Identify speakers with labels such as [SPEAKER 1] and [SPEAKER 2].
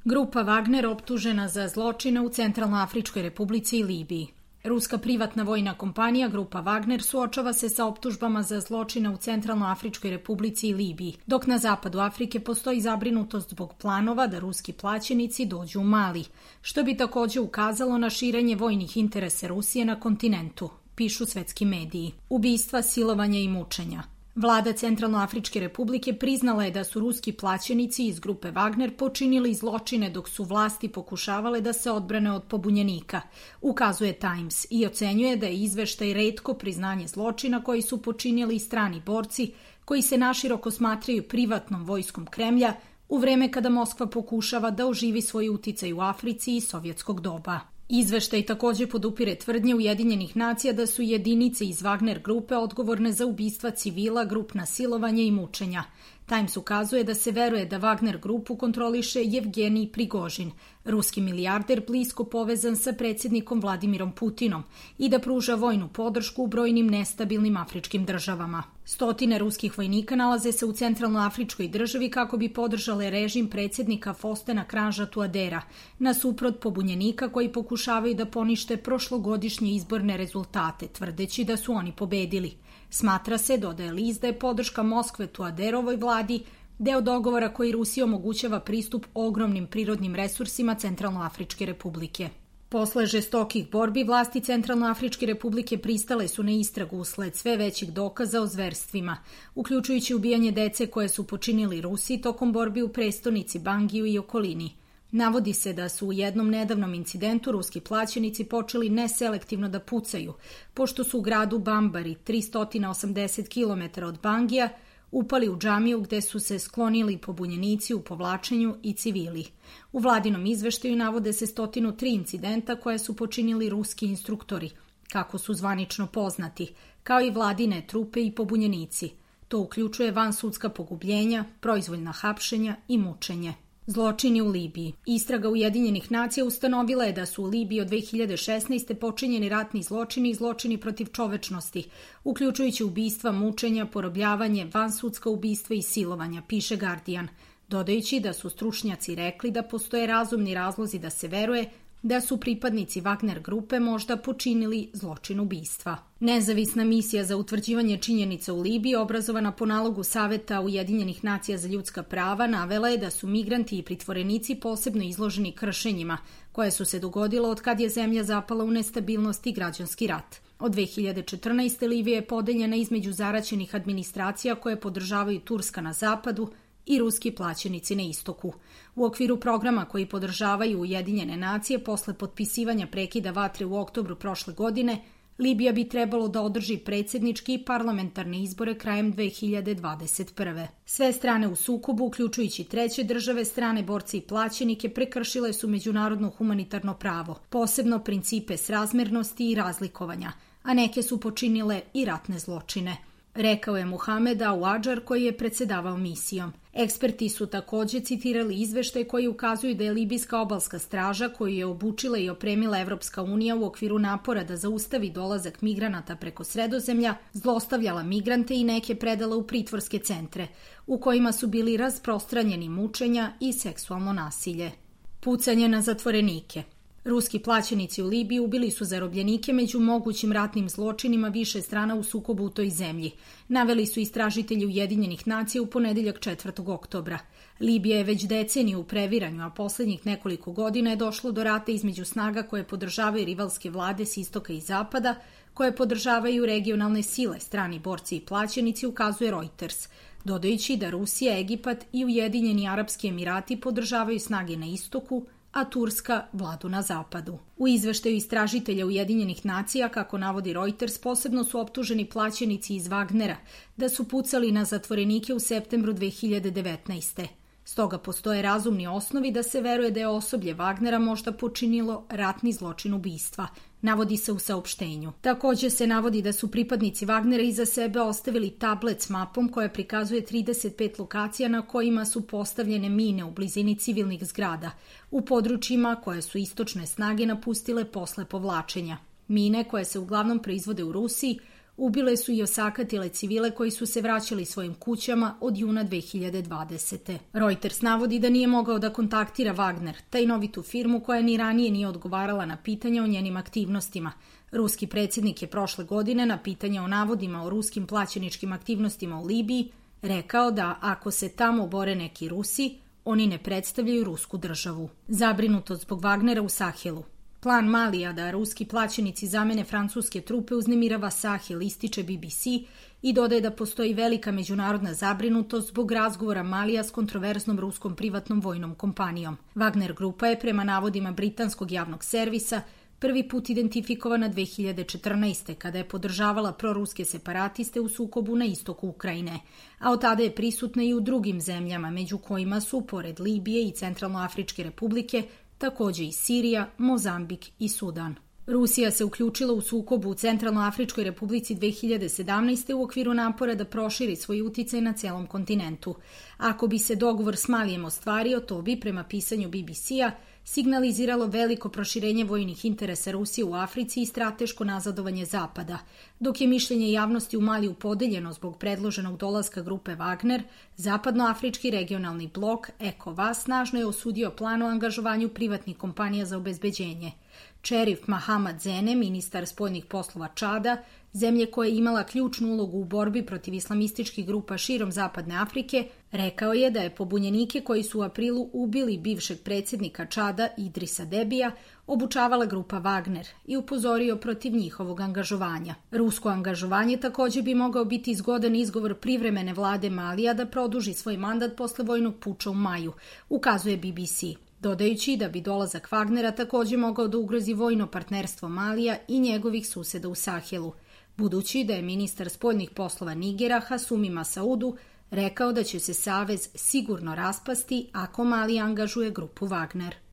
[SPEAKER 1] Grupa Wagner optužena za zločine u Centralnoafričkoj Republici i Libiji. Ruska privatna vojna kompanija Grupa Wagner suočava se sa optužbama za zločine u Centralnoafričkoj Republici i Libiji, dok na zapadu Afrike postoji zabrinutost zbog planova da ruski plaćenici dođu u Mali, što bi takođe ukazalo na širenje vojnih interesa Rusije na kontinentu, pišu svetski mediji. Ubistva, silovanja i mučenja. Vlada Centralnoafričke Republike priznala je da su ruski plaćenici iz grupe Wagner počinili zločine dok su vlasti pokušavale da se odbrane od pobunjenika, ukazuje Times, i ocenjuje da je izveštaj retko priznanje zločina koji su počinili strani borci koji se naširoko smatraju privatnom vojskom Kremlja u vreme kada Moskva pokušava da oživi svoj uticaj u Africi i sovjetskog doba. Izveštaj takođe podupire tvrdnje Ujedinjenih nacija da su jedinice iz Wagner grupe odgovorne za ubistva civila, grupna silovanja i mučenja. Times ukazuje da se veruje da Wagner grupu kontroliše Jevgenij Prigožin, ruski milijarder blisko povezan sa predsjednikom Vladimirom Putinom i da pruža vojnu podršku u brojnim nestabilnim afričkim državama. Stotine ruskih vojnika nalaze se u Centralnoafričkoj državi kako bi podržale režim predsjednika Fostena Kranža Tuadera, nasuprot pobunjenika koji pokušavaju da ponište prošlogodišnje izborne rezultate, tvrdeći da su oni pobedili. Smatra se, dodaje list, da je podrška Moskve Tuaderovoj vladi deo dogovora koji Rusiji omogućava pristup ogromnim prirodnim resursima Centralnoafričke Republike. Posle žestokih borbi, vlasti Centralnoafričke Republike pristale su na istragu usled sve većih dokaza o zverstvima, uključujući ubijanje dece koje su počinili Rusi tokom borbi u prestonici Bangiju i okolini. Navodi se da su u jednom nedavnom incidentu ruski plaćenici počeli neselektivno da pucaju, pošto su u gradu Bambari, 380 km od Bangija, upali u džamiju gde su se sklonili pobunjenici u povlačenju i civili. U vladinom izveštaju navode se 103 incidenta koje su počinili ruski instruktori, kako su zvanično poznati, kao i vladine trupe i pobunjenici. To uključuje vansudska pogubljenja, proizvoljna hapšenja i mučenje. Zločini u Libiji. Istraga Ujedinjenih nacija ustanovila je da su u Libiji od 2016. počinjeni ratni zločini i zločini protiv čovečnosti, uključujući ubistva, mučenja, porobljavanje, vansudska ubistva i silovanja, piše Guardian, dodajući da su stručnjaci rekli da postoje razumni razlozi da se veruje da su pripadnici Wagner grupe možda počinili zločin ubistva. Nezavisna misija za utvrđivanje činjenica u Libiji, obrazovana po nalogu Saveta Ujedinjenih nacija za ljudska prava, navela je da su migranti i pritvorenici posebno izloženi kršenjima, koje su se dogodile od kad je zemlja zapala u nestabilnost i građanski rat. Od 2014. Libija je podeljena između zaraćenih administracija koje podržavaju Turska na zapadu i ruski plaćenici na istoku. U okviru programa koji podržavaju Ujedinjene nacije posle potpisivanja prekida vatre u oktobru prošle godine, Libija bi trebalo da održi predsjednički i parlamentarne izbore krajem 2021. Sve strane u sukobu, uključujući treće države, strane borce i plaćenike, prekršile su međunarodno humanitarno pravo, posebno principe srazmernosti i razlikovanja, a neke su počinile i ratne zločine, rekao je Muhamed Aouadžar koji je predsedavao misijom. Eksperti su takođe citirali izveštaj koji ukazuju da je libijska obalska straža, koju je obučila i opremila Evropska unija u okviru napora da zaustavi dolazak migranata preko Sredozemlja, zlostavljala migrante i neke predala u pritvorske centre, u kojima su bili rasprostranjeni mučenja i seksualno nasilje. Pucanje na zatvorenike. Ruski plaćenici u Libiji ubili su zarobljenike među mogućim ratnim zločinima više strana u sukobu u toj zemlji, naveli su istražitelji Ujedinjenih nacija u ponedeljak 4. oktobra. Libija je već deceniju u previranju, a poslednjih nekoliko godina je došlo do rata između snaga koje podržavaju rivalske vlade s istoka i zapada, koje podržavaju regionalne sile, strani borci i plaćenici, ukazuje Reuters, dodajući da Rusija, Egipat i Ujedinjeni Arapski Emirati podržavaju snage na istoku, a Turska vladu na zapadu. U izveštaju istražitelja Ujedinjenih nacija, kako navodi Reuters, posebno su optuženi plaćenici iz Wagnera da su pucali na zatvorenike u septembru 2019. Stoga postoje razumni osnovi da se veruje da je osoblje Wagnera možda počinilo ratni zločin ubistva, navodi se u saopštenju. Takođe se navodi da su pripadnici Wagnera iza sebe ostavili tablet s mapom koja prikazuje 35 lokacija na kojima su postavljene mine u blizini civilnih zgrada, u područjima koje su istočne snage napustile posle povlačenja. Mine, koje se uglavnom proizvode u Rusiji, Ubile su i osakatile civile koji su se vraćali svojim kućama od juna 2020. Reuters navodi da nije mogao da kontaktira Wagner, tajnovitu firmu koja ni ranije nije odgovarala na pitanja o njenim aktivnostima. Ruski predsjednik je prošle godine na pitanja o navodima o ruskim plaćeničkim aktivnostima u Libiji rekao da ako se tamo bore neki Rusi, oni ne predstavljaju rusku državu. Zabrinutost zbog Wagnera u Sahelu. Plan Malija da ruski plaćenici zamene francuske trupe uznemirava Sahel, ističe BBC i dodaje da postoji velika međunarodna zabrinutost zbog razgovora Malija s kontroverznom ruskom privatnom vojnom kompanijom. Wagner grupa je prema navodima britanskog javnog servisa prvi put identifikovana 2014. kada je podržavala proruske separatiste u sukobu na istoku Ukrajine, a od tada je prisutna i u drugim zemljama, među kojima su, pored Libije i Centralnoafričke republike, također i Sirija, Mozambik i Sudan. Rusija se uključila u sukobu u Centralnoafričkoj republici 2017. u okviru napora da proširi svoj uticaj na celom kontinentu. Ako bi se dogovor s Malijem ostvario, to bi, prema pisanju BBC-a, signaliziralo veliko proširenje vojnih interesa Rusije u Africi i strateško nazadovanje Zapada. Dok je mišljenje javnosti u Maliju podeljeno zbog predloženog dolaska grupe Wagner, Zapadnoafrički regionalni blok ECOWAS snažno je osudio plan o angažovanju privatnih kompanija za obezbeđenje. Čerif Mahamad Zene, ministar spoljnih poslova Čada, zemlje koja je imala ključnu ulogu u borbi protiv islamističkih grupa širom Zapadne Afrike, rekao je da je pobunjenike koji su u aprilu ubili bivšeg predsjednika Čada Idrisa Debija obučavala grupa Wagner i upozorio protiv njihovog angažovanja. Rusko angažovanje također bi mogao biti zgodan izgovor privremene vlade Malija da produži svoj mandat posle vojnog puča u maju, ukazuje BBC. Dodajući da bi dolazak Wagnera također mogao da ugrozi vojno partnerstvo Malija i njegovih suseda u Sahelu, budući da je ministar spoljnih poslova Nigera Hasumi Masaudu rekao da će se savez sigurno raspasti ako Mali angažuje grupu Wagner.